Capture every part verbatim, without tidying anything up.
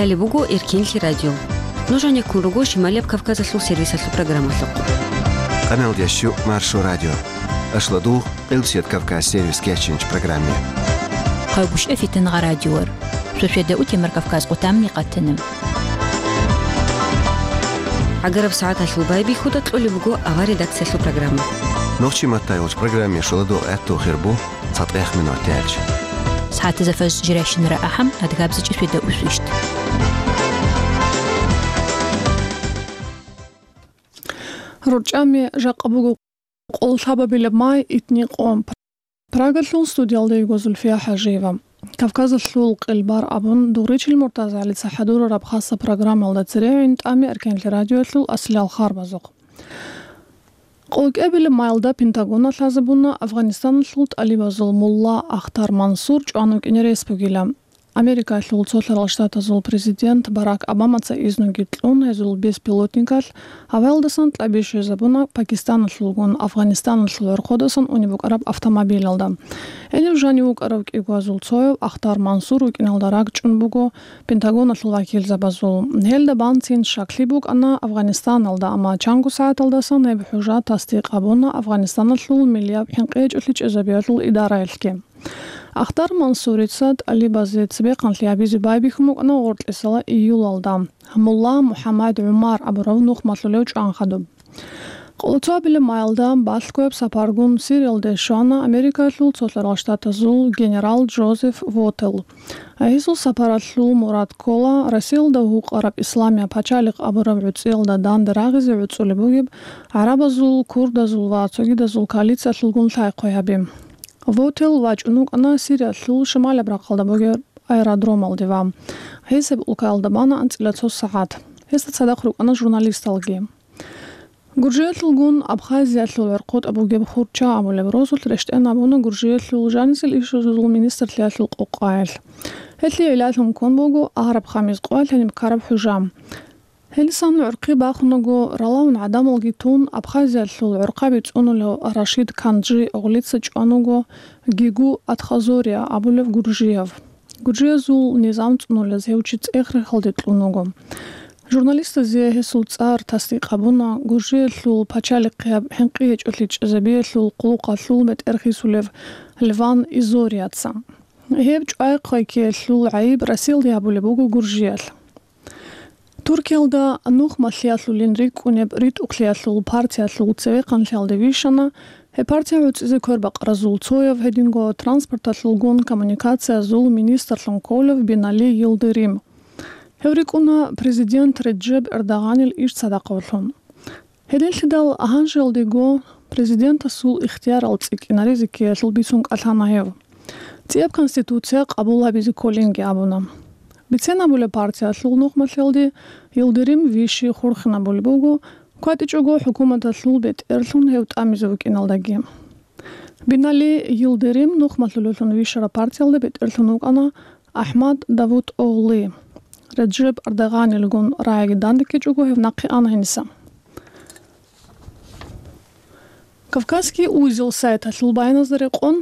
Лъалеб буго Эркенлъи радио. Нуж гьанеккун руго Шималияб Кавказалъул сервисалъул программалъухъ. Къаналдящу Маршо радио. Ашладугъ Къилбсият Кавказ сервис кечинч программе. Хъагушев Фитангъа радиор. Шошеда утемар Кавказ къутамни къатана. ГӀагараб сагӀаталъул байбихьуда кьолеб буго авар редакциялъул программа. Нохчи маттай гъоч программе шоладугъ гӀатту хирбу. ЦатӀех минут дялъ. СагӀатазда фаж жирайщинара ахӀам, адгабзичӀи сведа усвищт. РорчӀами жакъа буго къоллъабабилеб май, итни къо. Прагалъул студиялда йиго Зульфия ХӀажиева. Кавказалъул къилбар абун, дугъричил МуртазагӀалица хӀадурараб хасаб программалда церегӀин тӀами Эркенлъи радиоялъул аслиял харбазухъ. КъолкӀебилеб майалда Пентагона лъазабуна Афганистаналъул тӀалибазул мулла Ахтар Мансур чӀван вукӀине рес бугила. Америкалъул Цолъарал Штатазул президент Барак Обамаца изнуги кьун, гьезул беспилотникалъ гьаваялдасан кьаби щвезабуна Пакистаналъулгун Афганистаналъул гӀорхъодасан унеб букӀараб автомобилалда. Гьенив жанив вукӀарав кӀигвазул цояв Ахтар Мансур вукӀиналда ракӀчӀун буго Пентагоналъул вакилзабазул. Гьелда бансин щаклъи букӀана Афганистаналда, амма чанго сагӀаталдасан гьеб хӀужа тасдикъ гьабуна Афганистаналъул миллияб хӀинкъи гьечӀолъи чӀезабиялъул идараялъги. Ахтар Мансурица тӀалибазе цебехъанлъи гьабизе байбихьун букӀана гъоркьисала июлалда, мулла МухӀаммад ГӀумар абурав нухмалъулев чӀван хадуб. Къолоцо абилеб майалда балъгояб сапаргун Сириялде щвана Америкалъул Цолъарал Штатазул генерал Джозеф Вотел. Гьесул сапаралъул мурад ккола Россиялда вукъараб Исламияб пачалихъ абураб гӀуцӀиялда данде рагъизе гӀуцӀулеб бугеб гӀарабазул, курдазул ва цогидазул коалициялъулгун лъай-хъвай гьаби. Вотел вачӀун вукӀана Сириялъул шималаб рахъалда бугеб аэродромалде ва гьесаб улкаялда бана анцӀила цо сагӀат. Гьесда цадахъ рукӀана журналисталги. Гуржиялъулгун Абхазиялъул гӀорхъотӀа бугеб Хурча абулеб росулъ рещтӀен абуна Гуржиялъул жанисел ишазул министрлъиялъул къокъаялъ. Гьелъие гӀиллалъун ккун буго араб хамис къоялъ гьениб ккараб хӀужа. Гьелдасан гӀурхъи бахунаго, ралаун гӀадамалги тун, Абхазиялъул гӀорхъаби цӀунулев Рашид Канжи оглица чӀван вуго Гигу Атхазория абулев гуржияв. Гуржиязул низам цӀунулез гьев чи цӀех-рехалде кьун вуго. Журналистазе гьесул цӀар тасдикъ гьабуна Гуржиялъул пачалихъияб хӀинкъи гьечӀолъи чӀезабиялъул къулухъалъул бетӀер хисулев Леван Изорияца. Гьеб чӀвай-хъвай ккеялъул гӀайиб Россиялде гьабулеб буго Гуржиялъ. Туркиялда нухмалъиялъулин рикӀкӀунеб РитӀухълъиялъул партиялъул цевехъанлъиялде вищана гьеб партия гӀуцӀизе квербакъаразул цояв, гьединго транспорталъулгун коммуникациязул министрлъун кколев Бинали Йылдырим. Гьев рикӀкӀуна президент Реджеп Эрдогъанил иш цадахъавлъун. Гьединлъидал гьанжеялдего президентасул ихтиярал цӀикӀкӀинаризе ккеялъул бицун кӀалъана гьев. ЦӀияб конституция къабул гьабизе кколинги абуна. Бицен абулеб, партиялъул нухмалъиялде Йылдырим вищи хурхинабулеб буго, кватӀичӀого хӀукуматалъул бетӀерлъун гьев тӀамизе вукӀиналдаги. Бинали Йылдырим нухмалъулелъун вищараб партиялда бетӀерлъун вукӀана АхӀмад Давутоглы, Реджеп Эрдогъанилгун рагӀиги дандеккичӀого гьев нахъе ана гьениса. Кавказский узел сайталъул баяназда рекъон,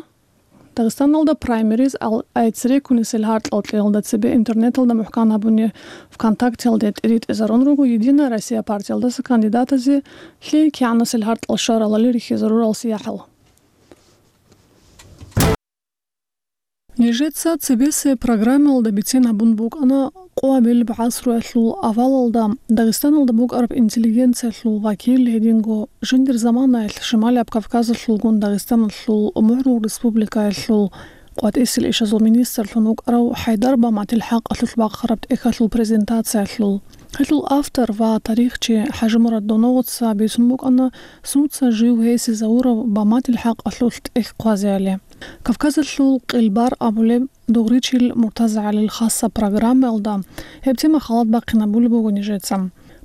Дагъистаналда праймериз ал-, айцӀреккунесел гьаркьал кьеялда цебе интернеталда мухӀкан гьабуни ВКонтактеялде тӀиритӀизарун руго Единая Россия партиялдаса кандидатазе лъикӀ кигӀанасел гьаркьал щваралали рихьизарурал сияхӀал. Нижеца цебесеб программаялда бицен гьабун букӀана къоабилеб гӀасруялъул авалалда Дагъистаналда букӀараб интеллигенциялъул вакил, гьединго жиндир заманаялъ Шималияб Кавказалъулгун Дагъистаналъул МухӀрул Республикаялъул къватӀисел ишазул министрлъун вукӀарав ХӀайдар Баматил хӀакъалъулъ бахъараб тӀехьалъул презентациялъул. Гьелъул автор ва тарихчи ХӀажимурад Доногъоца бицун букӀана, сунца жив гьесизавурав Баматил хӀакъалъулъ тӀехь хъвазеали. Кавказалъул къилбар абулеб дугъричил МуртазагӀалил хасаб программаялда гьеб тема халат бахъинабулеб буго нижеца.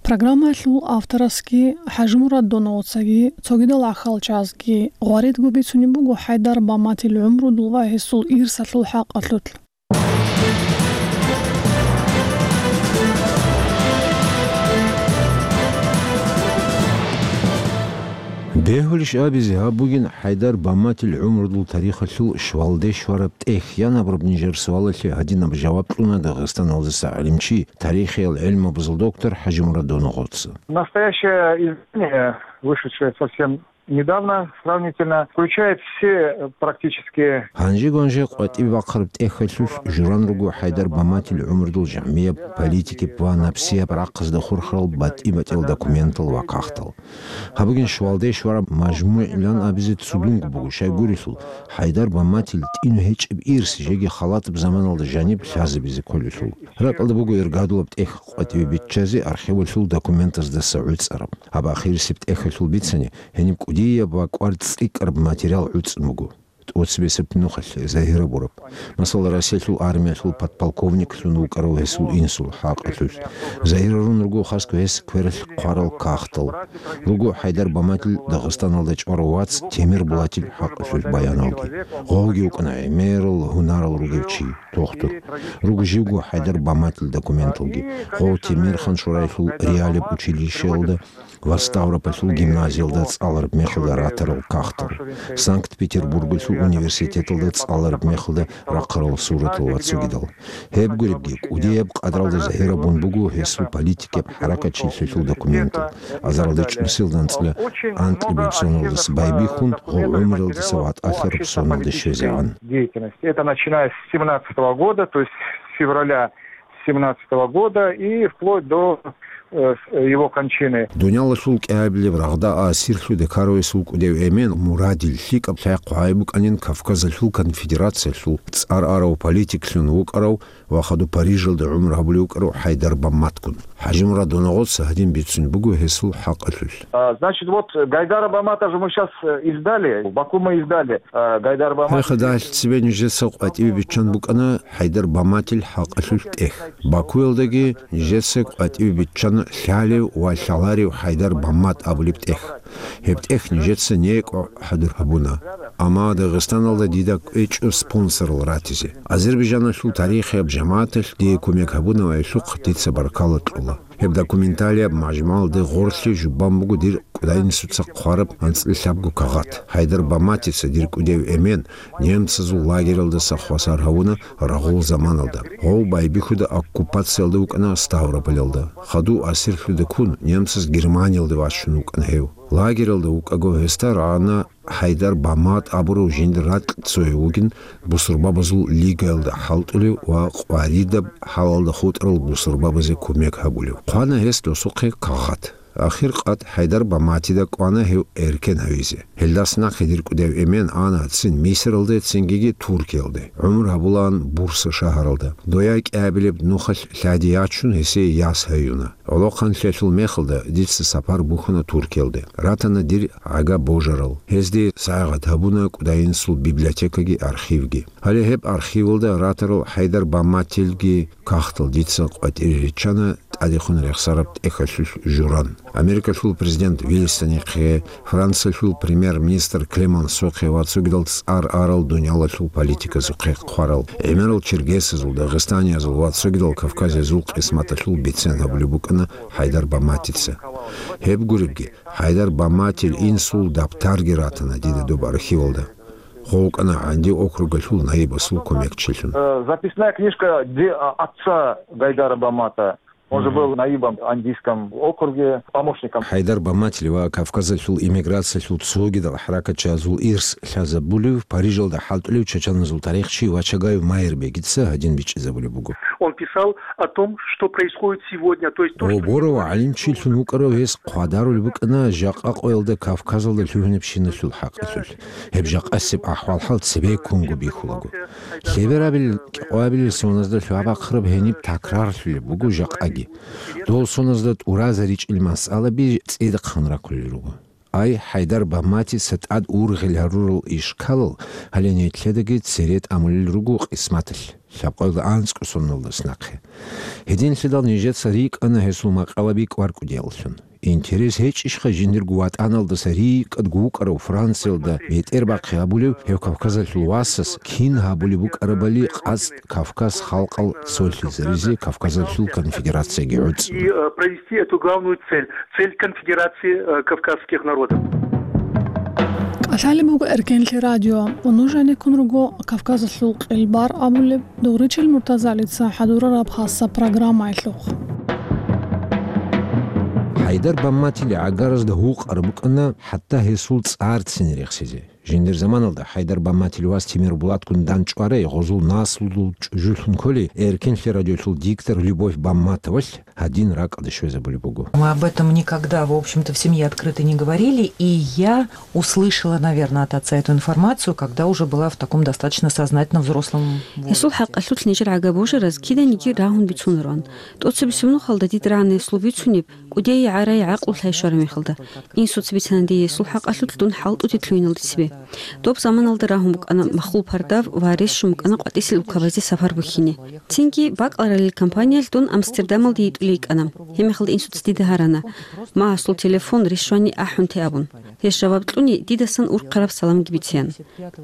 Программаялъул авторасги ХӀажимурад Доногъоцаги цогидал гӀахьалчазги гъваридго бицунеб буго ХӀайдар Баматил гӀумрудул ва гьесул ирсалъул хӀакъалъулъ. Бегьулищ абизе, гьаб бугин ХӀайдар Баматил гӀумрудул тарихалъул щвалде щвараб тӀехь. Ян абураб нижер суалалъе гьадинаб жаваб кьуна Дагъистаналдаса гӀалимчи, тарихиял гӀелмабазул доктор ХӀажимурад Доногъоца. Настоящее издание, вышедшее совсем недавно, сравнительно, включает все, э, практически. Гьанже-гьанже къватӀибе бахъараб тӀехьалъулъ журан руго ХӀайдар Баматил гӀумрудул жагьмияб, политикияб ва напсияб рахъазда хурхарал батӀи-батӀиял документал ва кагътал. Гьаб бугин щвалде щвараб мажмугӀилан абизе цудунго буго, щайгурелъул ХӀайдар Баматил тӀину гьечӀеб ирс жеги халатаб заманалда жаниб лъазабизе кколелъул. РакӀалда буго иргадулаб тӀехь къватӀибе биччазе архивалъул документаздаса гӀуцӀараб. Гьаб ахирисеб тӀехьалъул бицани, гьениб кӀудияб ва кӀвар цӀикӀкӀараб материал гӀуцӀун буго. ТӀоцебесеб нухалъ загьир гьабураб. Масала, Россиялъул армиялъул подполковниклъун вукӀарав гьесул инсул хӀакъалъулъ. Загьирарун руго хасго гьес квералъ хъварал кагътал. Руго ХӀайдар Баматил Дагъистаналда чӀварав вац Темир Булатил хӀакъалъулъ баяналги. Гъовги вукӀана гӀемерал гьунарал ругев чи, тухтур. Руго живго ХӀайдар Баматил документалги. Гъов Темирхан-Шураялъул реалияб училищеялда ва Ставропольлъул гимназиялда цӀалараб мехалда ратарал кагътал, Санкт-Петербургалъул университеталда цӀалараб мехалда рахъарал суратал ва цогидал. Гьеб гуребги, кӀудияб къадралда загьирабун буго гьесул политикияб хӀаракатчилъиялъул документал, азаралда чӀусиялда анцӀила анкьабилеб соналдаса байбихьун, гъов гӀумруялдаса ватӀалъараб соналде щвезегӀан. Деятельность. Это начиная с семнадцатого года, то есть с февраля семнадцатого года и вплоть до, э, с-, его кончины. Дуниялалъул кӀиабилеб рагъда асирлъуде ккаравесул кӀудев эмен Мурадил лъикӀаб лъай хъвай букӀанин Кавказалъул конфедерациялъул цӀар арав политиклъун вукӀарав ва хадуб Парижалда гӀумру гьабулев вукӀарав ХӀайдар Баматгун. ХӀажимурад Доногъоца гьадин бицун буго гьесул хӀакъалъулъ. А, значит, вот Гайдара Бамата же мы щас, э, издали, в Баку мы издали, э, Гайдар Бамат. Гьеб хадалъ цебе нижеца къватӀибе биччан букӀана ХӀайдар Баматил хӀакъалъулъ тӀехь. Бакуялдаги нижеца къватӀибе биччана лъалев ва лъаларев ХӀайдар Бамат абулеб тӀехь. Гьеб тӀехь нижеца некӀо хӀадур гьабуна. Амма Дагъистаналда дида кӀвечӀо спонсорал ратизе. Азербайджаналъул тарихияб жамагӀаталъ дие кумек гьабунаб гӀелъухъ дица баркала кьола. Гьеб документалияб мажмугӀалде гъорлъе жубан буго дир кӀудайинсуца хъвараб анцӀила лъабго кагъат. ХӀайдар Баматица дир кӀудев эмен немцазул лагералдаса хвасар гьавуна рагъул заманалда. Гъов байбихьуда оккупациялда вукӀана Ставрополялда. Хадув асирлъуде ккун, немцаз Германиялде вачун вукӀана гьев. Лагералда вукӀаго гьесда рагӀана ХӀайдар Бамат абурав жиндир ракь цояв вугин бусурбабазул лигаялда хӀалтӀулев ва къваридаб хӀалалда хутӀарал бусурбабазе кумек гьабулев. Хъвана гьес досухъе кагъат. Ахир къад ХӀайдар Баматида кӀвана гьев эркен гьавизе. Гьелдаса нахъе дир кӀудев эмен ана цин Мисралде, цингиги Туркиялде. ГӀумру гьабулаан Бурса шагьаралда. Дояй кӀиабилеб нухалъ лъади ячун, гьесие яс гьаюна. ГӀолохъанлъиялъул мехалда дица сапар бухьана Туркиялде. Ратана дир гӀага божарал. Гьезде сагӀат гьабуна кӀудайинсул библиотекаги архивги. Гьале гьеб архивалда ратарал ХӀайдар Баматилги кагътал дица къватӀире риччана тӀадехун рехсараб тӀехьалъулъ журан. Америкалъул президент Вильсонихъе, Франциялъул премьер-министр Клемансохъе ва цогидал цӀар арал дуниялалъул политиказухъе хъварал, гӀемерал черкесазул, дагъистаниязул ва цогидал кавказиязул къисматалъул бицен гьабулеб букӀана ХӀайдар Баматица. Гьеб гуребги, ХӀайдар Баматил инсул дабтарги ратана дида доб архивалда. Гъов вукӀана ГӀанди округалъул наибасул кумекчилъун. Э, записная книжка де-, а, отца Гайдара Бамата. Он же был наибом в Андийском округе, помощником. ХӀайдар Баматил ва Кавказалъул иммиграциялъул цогидал хӀаракатчиязул ирс лъазабулев, Парижалда хӀалтӀулев чачаназул тарихчи Вачагаев Майрбегица гьадин бичӀчӀизабулеб буго. Он писал о том, что происходит сегодня, то есть то, что... Гъоб борав гӀалимчилъун вукӀарав гьес хъвадарулеб букӀана жакъа къоялда Кавказалда лъугьинабщиналъул хӀакъалъулъ. Гьеб жакъасеб ахӀвал-хӀал цебеккунго бихьулаго. Лъеберабил, кӀикъоябилел соназда лъугьа-бахъараб гьениб такрарлъулеб буго жакъаги. Дол соназда тӀуразаричӀел масъалаби цӀидахъан рахъулел руго. Ай, ХӀайдар Баматица тӀад ургъел гьарурал ишкалал гьале нилъедаги цере тӀамулел руго къисматалъ, лъабкъоялда анцӀго соналдас нахъе. Гьединлъидал нижеца рикӀкӀана гьесул макъалаби кӀвар-кӀудияллъун. Интерес гьечӀищха жиндирго ватӀаналдаса рикӀкӀадго вукӀарав Франциялда бетӀербахъи гьабулев гьев Кавказалъул васас кин гьабулеб букӀарабали къацӀ Кавказ халкъал цолъизаризе Кавказалъул конфедерацияги гӀуцӀун. И, э, провести эту главную цель, цель конфедерации, э, кавказских народов. Лъалеб буго Эркенлъи радио ва нуж гьанеккун руго Кавказалъул къилбар абулеб Дугъричил Муртазалица хӀадурараб хасса программаялъухъ. ХӀайдар Бамматил гӀагаразда гьукъараб букӀана хӀатта гьесул цӀарцин рехсизе. Жиндир заманалда ХӀайдар Бамматил вас Тимирбулатгун дандчӀварай гъозул наслулъул чӀужулъун кколей Эркенлъи радиолъул диктор Любовь Бамматовалъ гьадин ракӀалде щвезабулеб буго. Мы об этом никогда, в общем-то, в семье открыто не говорили, и я услышала, наверное, от отца эту информацию, когда уже была в таком достаточно сознательно взрослом возрасте. Гьесул хӀакъалъулъ нижер гӀага божараз киданиги рагьун бицунаран. ТӀоцебесеб нухалда дида рагӀана гьесул бицунеб, кӀудияй гӀарай гӀакълу лъай щвараб мехалда. Инсуца бицана дие гьесул хӀакъалъулъ дун хӀалтӀуде лъугьиналде цебе. Доб заманалда рагьун букӀана махул пардав ва рес щун букӀана къватӀисел улкабазде сапар бухьине. Цинги бакӀаларалил компаниялъ дун Амстердамалде йитӀулей йикӀана. Гьебмехалда инсуца дида гьарана, магьасул телефон рес щвани ахӀунте абун. Гьес жаваб кьуни, дидасан урхъараб саламги бицеян.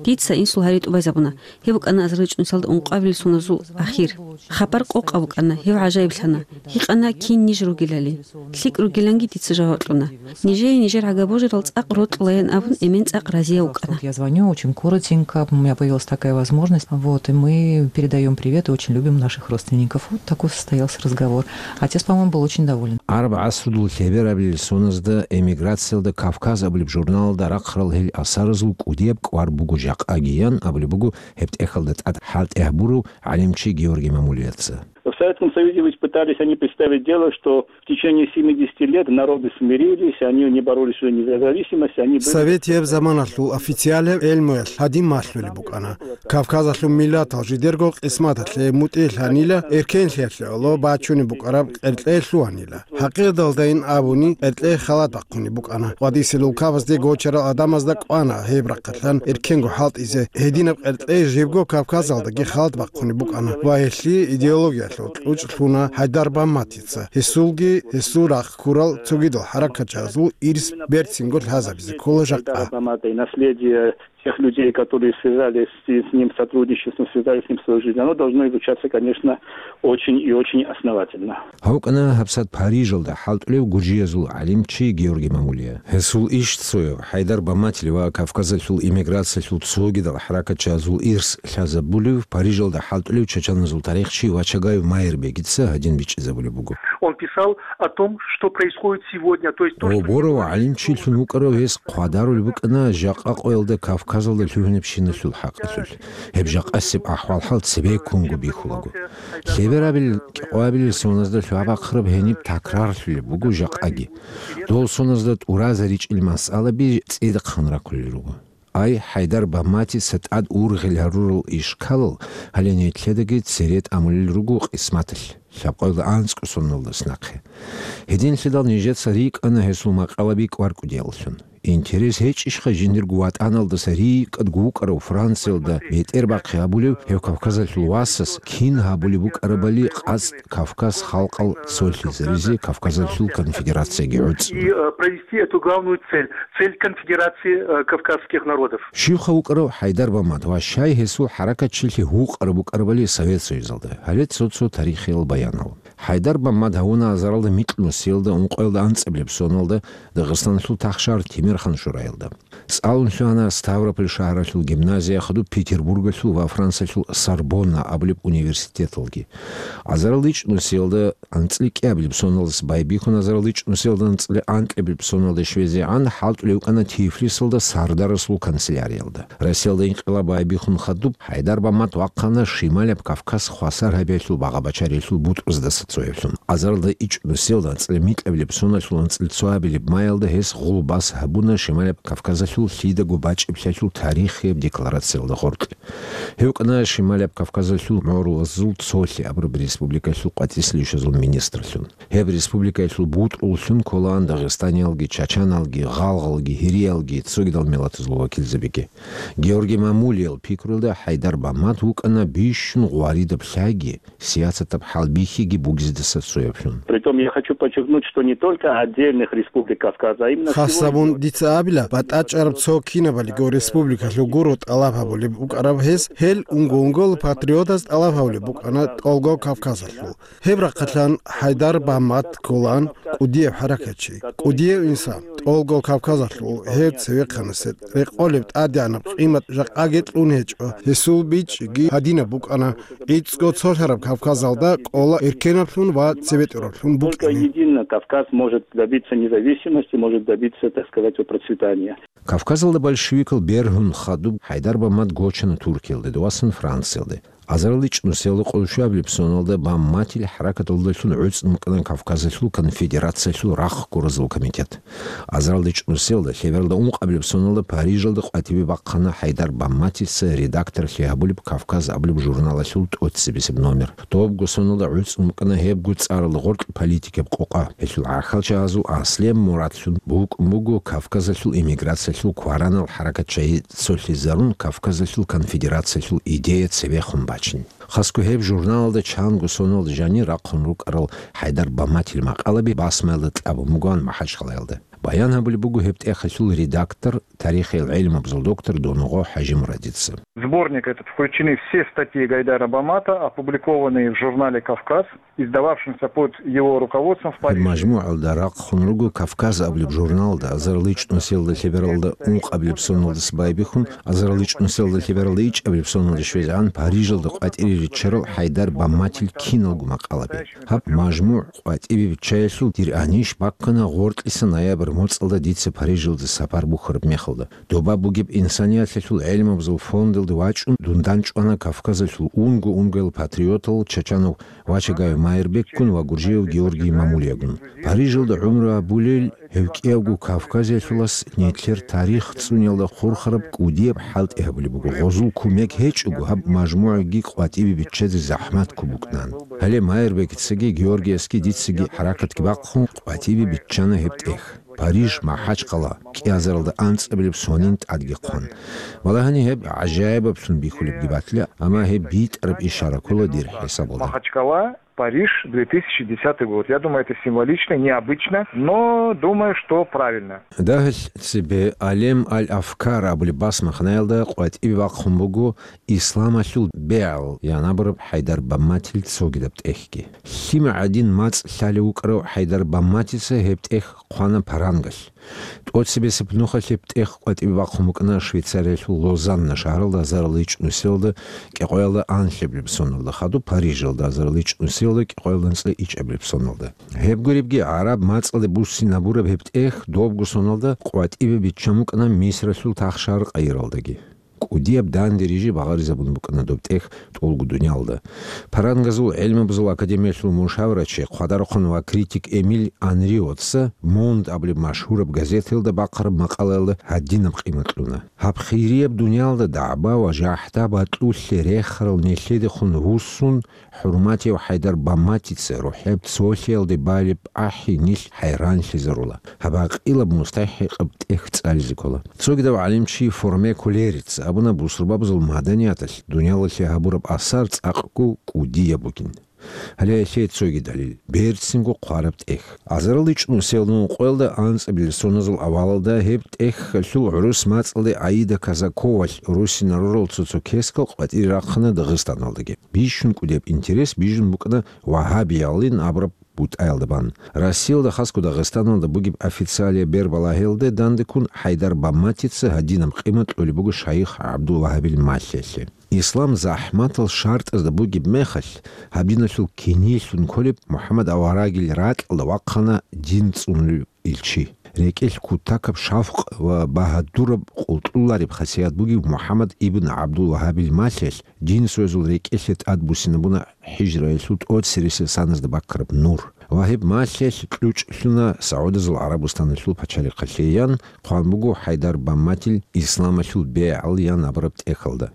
Дица инсул гьари тӀубазабуна. Гьеб букӀана азарил чӀунусиялда ункъабилеб соназул ахир. Хабар къокъаб букӀана, гьев гӀажаиблъана. Гьикъана кин ниж ругелали. ЛъикӀ ругиланги дица жаваб кьуна. Нижее нижер гӀага божарал цӀакъ рокьулаян абун, эмен цӀакъ разияв вукӀана. Вот я звоню очень коротенько, у меня появилась такая возможность. Вот, и мы передаём привет и очень любим наших родственников. Вот такой состоялся разговор. Отец, по-моему, был очень доволен. Араб гӀасрудул лъеберабилел соназда эмиграциялда Кавказ абулеб журналалда рахъарал гьел асаразул кӀудияб кӀвар буго жакъагиян абулеб буго гьеб тӀехьалда тӀад хӀалтӀи гьабурав гӀалимчи Георгий Мамулияца. В Советском Союзе ведь пытались они представить дело, что в течение семидесяти лет народы смирились, они не боролись уже не за независимость, они были... Советияб заманалъул официалияб гӀелмуялъ гьадин малъулеб букӀана. Кавказалъул миллатал жидерго къисматалъе мутӀигӀлъанила, эркенлъиялъе гӀоло бачунеб букӀараб къеркьей лъугьанила. ХӀакъикъаталдайин абуни, къеркьей халат бахъунеб букӀана. КъватӀисел улкабазде гочарал гӀадамазда кӀвана гьеб рахъалъан эркенго хӀалтӀизе. Гьединаб къеркьей жибго Кавказалдаги халат бахъунеб букӀана ва гьелъие идеологиялъул кьучӀ лъуна ХӀайдар Бамматица. Гьесулги, гьесул рахъ ккурал цогидал хӀаракатчиязул ирс берцинго лъазабизе ккола жакъа. Наследие тех людей, которые связались с, с ним сотрудничеством, связались с ним свою жизнь, оно должно изучаться, конечно, очень и очень основательно. Гьав вукӀана гьабсагӀат Парижалда хӀалтӀулев гуржиязул гӀалимчи Георгий Мамулия. Гьесул иш цояв ХӀайдар Бамматил ва Кавказалъул эмиграциялъул цогидал хӀаракатчиязул ирс лъазабулев Парижалда хӀалтӀулев чачаназул тарихчи Вачагаев Майрбегица гьадин бичӀчӀизабулеб буго. Он писал о том, что происходит сегодня, то есть то, что... Оборов гӀалимчилъун вукӀарав гьес хъвадарулеб букӀана жакъа къоялда Кавказалда лъугьинабщиналъул хӀакъалъулъ. Гьеб жакъасеб ахӀвал-хӀал цебеккунго бихьулаго. Лъеберабил кӀикъоябилел соназда лъугьа-бахъараб гьениб такрарлъулеб буго жакъаги. Дол соназда тӀуразаричӀел масъалаби цӀидахъан раккулел руго. Ай, ХӀайдар Бамматица тӀад ургъел гьарурал ишкалал гьале нилъедаги цере тӀамулел руго къисматалъ, лъабкъоялда анцӀго соналдас нахъе. Гьединлъидал нижеца рикӀкӀана гьесул макъалаби кӀвар-кӀудияллъун. Интерес гьечӀищха жиндирго ватӀаналдаса рикӀкӀадго вукӀарав Франциялда бетӀербахъи гьабулев гьев Кавказалъул васас кин гьабулеб букӀарабали къацӀ Кавказ халкъал цолъизаризе Кавказалъул конфедерацияги гӀуцӀун. И, э, провести эту главную цель, цель конфедерации, э, кавказских народов. Щивха вукӀарав ХӀайдар Баммат ва щай гьесул хӀаракатчилъи гьукъараб букӀарабали Совет Союзалда? Гьале цо-цо тарихиял баянал. ХӀайдар Баммат гьавуна азаралда микь нусиялда ункъоялда анцӀабилеб соналда Дагъистаналъул тахшар Тимирхан шураялда. ЦӀалун лъугьана Ставрополь шагьаралъул гимназия, хадуб Петербургалъул ва Франциялъул Сорбонна абулеб университеталги. Азарал ичӀнусиялда анцӀли кӀиабилеб соналдаса байбихьун, азарал ичӀнусиялда анцӀли анкьабилеб соналде щвезегӀан хӀалтӀулев вукӀана Тифлисалда Сардарасул канцеляриялда. Россиялда инкъилаб байбихьун хадуб, ХӀайдар Баммат вахъана Шималаб Кавказ хвасар гьабиялъул багъа-бачариялъул бутӀруздаса цояблъун. Азаралда ичӀнусиялда анцӀли микьабилеб соналъул анцӀли цоабилеб маялда гьес гъулбас гьабуна Шималаб Кавказалъул лъидаго бачӀиблъиялъул тарихияб декларациялда гъоркье. Гьев вукӀана Шималаб Кавказалъул мугӀрулазул цолъи абураб республикаялъул къватӀисел ишазул министрлъун. Гьеб республикаялъул бутӀруллъун кколаан дагъистаниялги, чачаналги, гъалгъалги, гьириялги, цогидал миллатазул вакилзабиги. Георгий Мамулиял пикруялда ХӀайдар Баммат вукӀана бищун гъваридаб лъайги, сиясатаб хӀалбихьиги бугездаса цояблъун. Притом я хочу подчеркнуть, что не только отдельных республик Кавказа, а именно... Хас гьабун дица абила, батӀачӀараб цо кинабалиго республикалъул гуро тӀалаб гьабулеб букӀараб гьес, Гьел унго-унгола патриотаз тӀалаб гьавулеб букӀана тӀолго Кавказалъул. Гьеб рахъалъан Гьайдар Бамат кколан кӀудияб хӀаракатчи, кӀудияв инсан, тӀолго Кавказалъул гьев цевехъанасе рекъолеб тӀадегӀанаб къимат жакъаги кьун гьечӀо, гьесул бичӀчӀиги гьадинаб букӀана, гӀицӀго цолъараб Кавказалда кӀола эркенаблъун ва цебетӀераблъун Только букӀине. Едино Кавказ может добиться независимости, может добиться, так сказать, процветания. Кавказалда большевикал бергьун хадуб Гьайдар Бамат гочана Туркиялде, дов васан Франциялде. Азарилда чӀунусиялда къоло щуабилеб соналда Баматил хӀаракаталдалъун гӀуцӀун букӀана Кавказалъул конфедерациялъул рахъ гуразул комитет. Азарилда чӀунусиялда лъебералда ункъабилеб соналда Парижалда къватӀибе бахъана Гьайдар Баматица редакторлъи гьабулеб «Кавказ» абулеб журналалъул тӀоцебесеб номер. Добго соналда гӀуцӀун букӀана гьебго цӀаралда гъоркь политикаб къокъа. Гьелъул гӀахьалчагьазул аслияб мурадлъун букӀун буго Кавказалъул эмиграциялъул кваранал хӀаракатчагьи цолъизарун Кавказалъул конфедерациялъул идея цебехун бачин. Хасго гьеб журналалда чанго соналда жанир рахъун рукӀарал Гьайдар Баматил макъалаби басмаялда кьабун бугоан МахӀачхъалаялда. Баян гьабулеб буго гьеб тӀехалъул редактор, тарихиял гӀелмабазул доктор Доногъо ХӀажимурадица. В сборник этот включены все статьи Гайдара Бамата, опубликованные в журнале «Кавказ», издававшемся под его руководством в Гьеб Париже. МажмугӀалда рахъун руго «Кавказ» абулеб журналда, азарилда чӀунусиялда лъебералда ункъабилеб соналдаса байбихьун, азарилда чӀунусиялда лъебералда ичӀабилеб соналда щвезегӀан Парижалда къватӀире риччарал Гьайдар Баматил киналго макъалаби. Гьаб мажмугӀ къватӀибе биччаялъул дир анищ баккана гъоркьиса ноябрь моцӀалда дица Парижалда сапар бухьараб мехалда. Доба бугеб инсаниялъулъул гӀелмабазул фондалда вачӀун дун дандчӀвана Кавказалъул унго-унгоял патриотал Чачанов Вачагаев Майрбекгун ва Гуржиев Георгий Мамулиягун. Парижалда гӀумру гьабулел гьев кӀиявго кавказиялъулас нилъер тарих цӀуниялда хурхараб кӀудияб хӀалтӀи гьабулеб буго. Гъозул кумек гьечӀого, гьаб мажмугӀаги къватӀибе биччазе захӀмат ккун букӀана. Гьале Майрбекицаги Георгиясги дицаги хӀаракатги бахъун къватӀибе биччана гьеб тӀех. Париж, МахӀачхъала, кӀиазаралда анцӀабилеб сонин тӀадги хъван. Валагьани, гьеб гӀажаибаблъун бихьулебги батила, амма гьеб битӀараб ишара ккола дир хӀисабалда. Махачкала, Париж, две тысячи десятый год. Я думаю, это символично, необычно, но думаю, что правильно. Дагьал цебе Алем аль-Афкар абулеб басмахнаялда къватӀибе бахъун буго «Исламалъул бегӀал» ян абураб Гьайдар Бамматил цогидаб тӀехьги. Лъим гӀадин мацӀ лъалев вукӀарав Гьайдар Бамматица гьеб тӀехь хъвана парангалъ. ТӀоцебесеб нухалъ гьеб тӀехь къватӀибе бахъун букӀана Швейцариялъул Лозанна шагьаралда азарилда ичӀнусиялда кӀикъоялда анлъабилеб соналда хадуб, Парижалда азарилда ичӀнусиялда кӀикъоялда анцӀила ичӀабилеб соналда. Гьеб гуребги, гӀараб мацӀалде буссинабураб гьеб тӀехь добго соналда къватӀибе биччан букӀана Мисралъул тахшагьар Къайралдаги. КӀудияб данде рижи багъаризабун букӀана доб тӀехь тӀолго дуниялда. Парангазул гӀелмабазул академиялъул мушаврачи, хъвадарахъун ва критик Эмиль Анриоца «Монд» абулеб машгьураб газеталда бахъараб макъалаялда гьадинаб къимат кьуна: «Гьаб хирияб дуниялда дагӀба ва жахӀда батӀулъе рехарал нилъедехун вуссун, хӀурматияв Гьайдар Бамматица рухӀеб цолъиялде балеб ахӀи нилъ хӀайранлъизарула. Гьаб гьакъилаб мустахӀикъаб тӀехь цӀализе ккола». Цогидав гӀалимчи Форме Кулерица абуна бусурбабазул маданияталъ дуниялалъе гьабураб асар цӀакъго кӀудияб бугин. Гьале гьелъие цоги далил, берцинго хъвараб тӀехь. Азарилда ичӀнусиялда ункъоялда анцӀабилеб соназул авалалда гьеб тӀехьалъул гӀурус мацӀалде Аида Казаковалъ руссинарурал цо-цо кескал къватӀире рахъана Дагъистаналдаги. Бищун кӀудияб интерес бижун букӀана вагьабиялин абураб бутӀаялда бан. Россиялда, хасго Дагъистаналда бугеб официалияб бербалагьиялда дандеккун Гьайдар Бамматица гьадинаб къимат кьолеб буго шайих ГӀабдул-Вагьабил малъиялъе. Ислам захӀматал шартӀазда бугеб мехалъ, гьаб диналъул киниялъун кколеб МухӀаммад аварагил ракьалда вахъана дин цӀунулев илчи. РекӀелъ кутакаб шавкъ ва багьадураб къултӀулареб хасият бугев МухӀаммад ибн ГӀабдул-Вагьабил малъиялъ дин цоязул рекӀелъе тӀадбуссинабуна хӀижраялъул тӀоцересел саназда баккараб нур. Ва гьеб малъиялъ кьучӀ лъуна СагӀудазул ГӀарабустаналъул пачалихъалъе ян, хъван буго Гьайдар Бамматил «Исламалъул бегӀал» ян абураб тӀехьалда.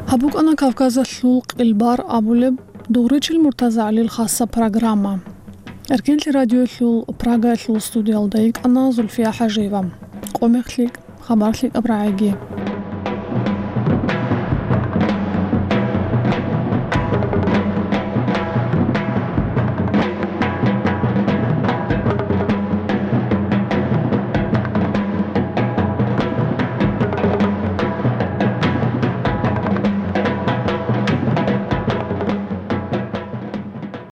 Гьаб букӀана Кавказалъул къилбар абулеб Дугъричил МуртазагӀалил хасаб программа. Эркенлъи радиоялъул Прагаялъул студиялда йикӀана Зульфия ХӀажиева. Къо-мех лъикӀ, хабар лъикӀаб рагӀиги.